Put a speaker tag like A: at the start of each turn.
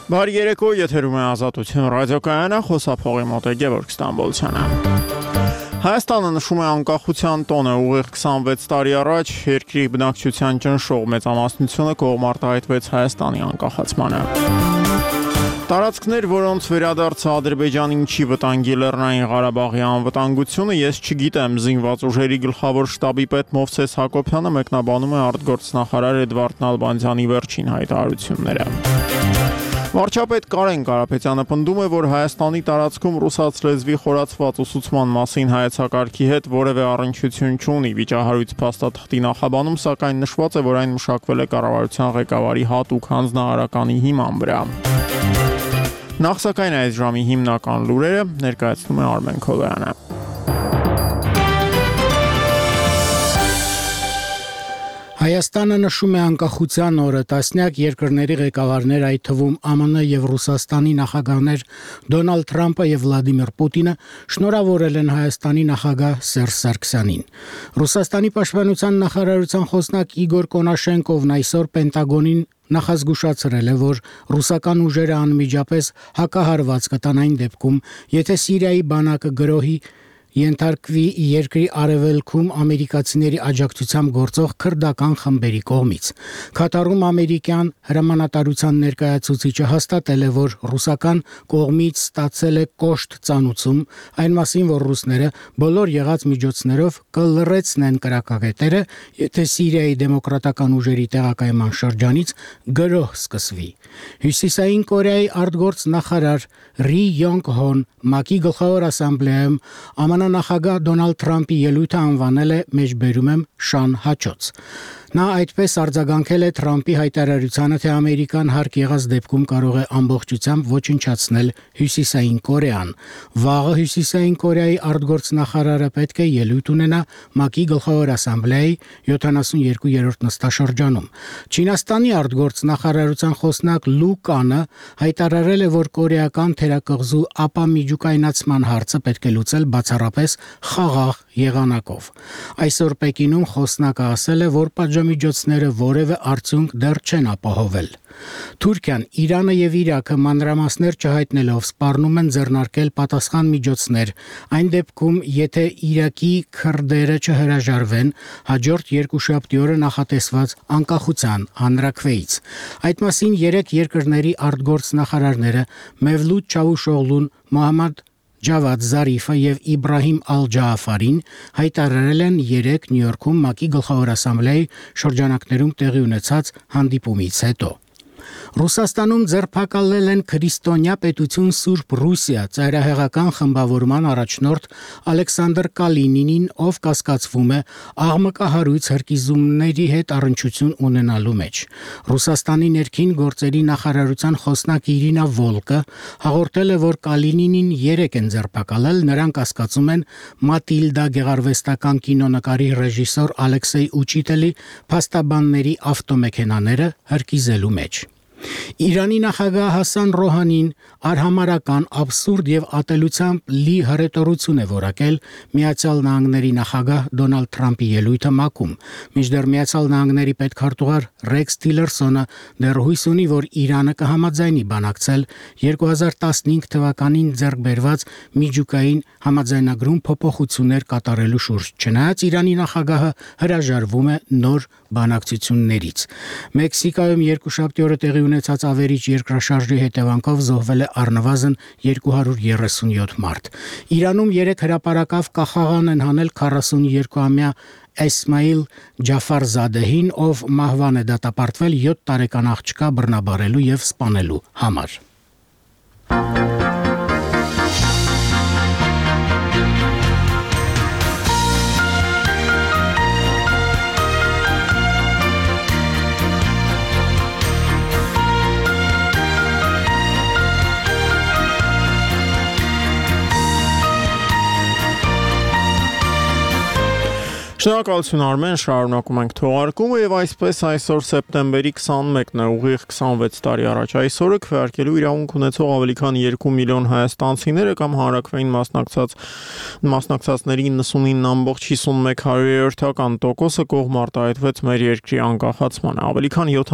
A: Բարի երեկո, եթերում է Ազատություն ռադիոկայանը, խոսափողի մոտ է Գևորգ Ստամբոլցյանը։ Հայաստանը նշում է անկախության տոնը, ուղիղ 26 տարի առաջ երկրի բնակչության ճնշող մեծամասնությունը կողմարտահայտվեց Հայաստանի անկախացմանը։ Տարածքներ, որոնց վերադարձը Ադրբեջանին չի վտանգի Լեռնային Ղարաբաղի անվտանգությունը, ես չգիտեմ, զինված ուժերի գլխավոր շտաբի պետ Մովսես Հակոբյանը մեկնաբանում է արտգործնախարար Էդվարդ Նալբանդյանի վերջին հայտարարությունները։ Վարչապետ Կարեն Կարապետյանը պնդում է, որ Հայաստանի տարածքում ռուսաց լեզվի խորացված ուսուցման մասին հայեցակարգի հետ որևէ առնչություն չունի։ Վիճահարույց փաստաթղթի նախաբանում, սակայն նշված է, որ այն մշակվել է կառավարության ղեկավարի հատուկ հանձնարարականի հիման վրա։ Նախ սակայն այս ժամի հիմնական լուրերը ներկայացնում է Արմեն Քոլոյանը։
B: Հայաստանը նշում է անկախության օրը, տասնյակ երկրների ղեկավարներ, այդ թվում ԱՄՆ եւ Ռուսաստանի նախագահներ Դոնալդ Թրամփը եւ Վլադիմիր Պուտինը շնորհավորել են Հայաստանի նախագահ Սերժ Սարգսյանին։ Ռուսաստանի պաշտպանության նախարարության խոսնակ Իգոր Կոնաշենկովն այսօր Պենտագոնին նախազգուշացրել է, որ ռուսական ուժերը անմիջապես հակահարված կտան այն դեպքում, եթե Սիրիայի բանակը գրոհի ենթարկվի երկրի արևելքում ամերիկացիների աջակցությամբ գործող քրդական խմբերի կողմից։ Քաթարում ամերիկյան հրամանատարության ներկայացուցիչը հաստատել է, որ ռուսական կողմից ստացել է կոշտ ծանուցում այն մասին, որ ռուսները բոլոր եղած միջոցներով կլռեցնեն կրակակետերը, եթե Սիրիայի դեմոկրատական ուժերի տեղակայման շրջանից գրոհ սկսվի։ Հյուսիսային Կորեայի արտգործնախարար Ռի Յոնգ Հոն ՄԱԿ-ի գլխավոր ասամբլեայում ԱՄՆ նախագահ Դոնալդ Թրամփի ելույթը անվանել է մեջբերում եմ շան հաճոց։ Նա այդպես արձագանքել է Թրամփի հայտարարությանը, թե Ամերիկան հարկ եղած դեպքում կարող է ամբողջությամբ ոչնչացնել Հյուսիսային Կորեան։ Վաղը Հյուսիսային Կորեայի արտգործնախարարը պետք է ելույթ ունենա ՄԱԿ-ի գլխավոր ասամբլեայի 72-րդ նստաշրջանում։ Չինաստանի արտգործնախարարության խոսնակ Լու Կանը հայտարարել է, որ կորեական թերակղզու ապամիջուկայնացման հարցը պետք է լուծել բացառապես խաղաղ եղանակով։ Այսօր Պեկինում խոսնակը ասել է, որ պատժամիջոցները որևէ արդյունք դեռ չեն ապահովել։ Թուրքիան, Իրանը եւ Իրաքը մանրամասներ չհայտնելով սպառնում են ձեռնարկել պատասխան միջոցներ, այն դեպքում, եթե Իրաքի քրդերը չհրաժարվեն հաջորդ երկուշաբթի օրը նախատեսված անկախության հանրաքվեից։ Այդ մասին 3 երկրների արտգործնախարարները Մևլութ Չավուշօղլուն, Մոհամմադ Ջավադ Զարիֆը եւ Իբրահիմ Ալ-Ջաաֆարին հայտարարել են 3 Նյու Յորքում ՄԱԿ-ի գլխավոր ասամբլեայի շրջանակներում տեղի ունեցած հանդիպումից հետո։ Ռուսաստանում ձերբակալել են քրիստոնյա պետություն Սուրբ Ռուսիա ծայրահեղական խմբավորման առաջնորդ Ալեքսանդր Կալինինին, ով կասկածվում է աղմկահարույց հրկիզումների հետ առնչություն ունենալու մեջ։ Ռուսաստանի ներքին գործերի նախարարության խոսնակ Իրինա Վոլկը հաղորդել է, որ Կալինինին 3 են ձերբակալել, նրան կասկածում են Մատիլդա գեղարվեստական կինոնկարի ռեժիսոր Ալեքսեյ Ուչիտելի փաստաբանների ավտոմեքենաները հրկիզելու մեջ։ Իրանի նախագահ Հասան Ռոհանին արհամարական, աբսուրդ եւ ատելությամբ լի հռետորություն է որակել Միացյալ Նահանգների նախագահ Դոնալդ Թրամփի ելույթը ՄԱԿ-ում, մինչդեռ Միացյալ Նահանգների պետքարտուղար Ռեքս Թիլերսոնը դեռ հույս ունի, որ Իրանը կհամաձայնի բանակցել 2015 թվականին ձեռք բերված միջուկային համաձայնագրում փոփոխություններ կատարելու շուրջ, չնայած Իրանի նախագահը հրաժարվում է նոր բանակցություններից։ Մեքսիկայում երկուշաբթի օրը տեղի ունեցած ավերիչ երկրաշարժի հետևանքով զոհվել է առնվազն 237 մարդ։ Իրանում 3 հրապարակավ կախաղան են հանել 42-ամյա Էսմայիլ Ջաֆարզադեհին, ով մահվան է դատապարտվել 7 տարեկան աղջկա բռնաբարելու եւ սպանելու համար։
A: Շնորհակալություն Արմեն, շարունակում ենք թողարկումը եւ այսպես այսօր սեպտեմբերի 21-ն է, ուղիղ 26 տարի առաջ այսօրը քվեարկելու իրավունք ունեցող ավելի քան 2 միլիոն հայաստանցիները կամ հանրաքվեին մասնակցածների 99.51%-ը կողմ արտահայտվեց մեր երկրի անկախացմանը։ Ավելի քան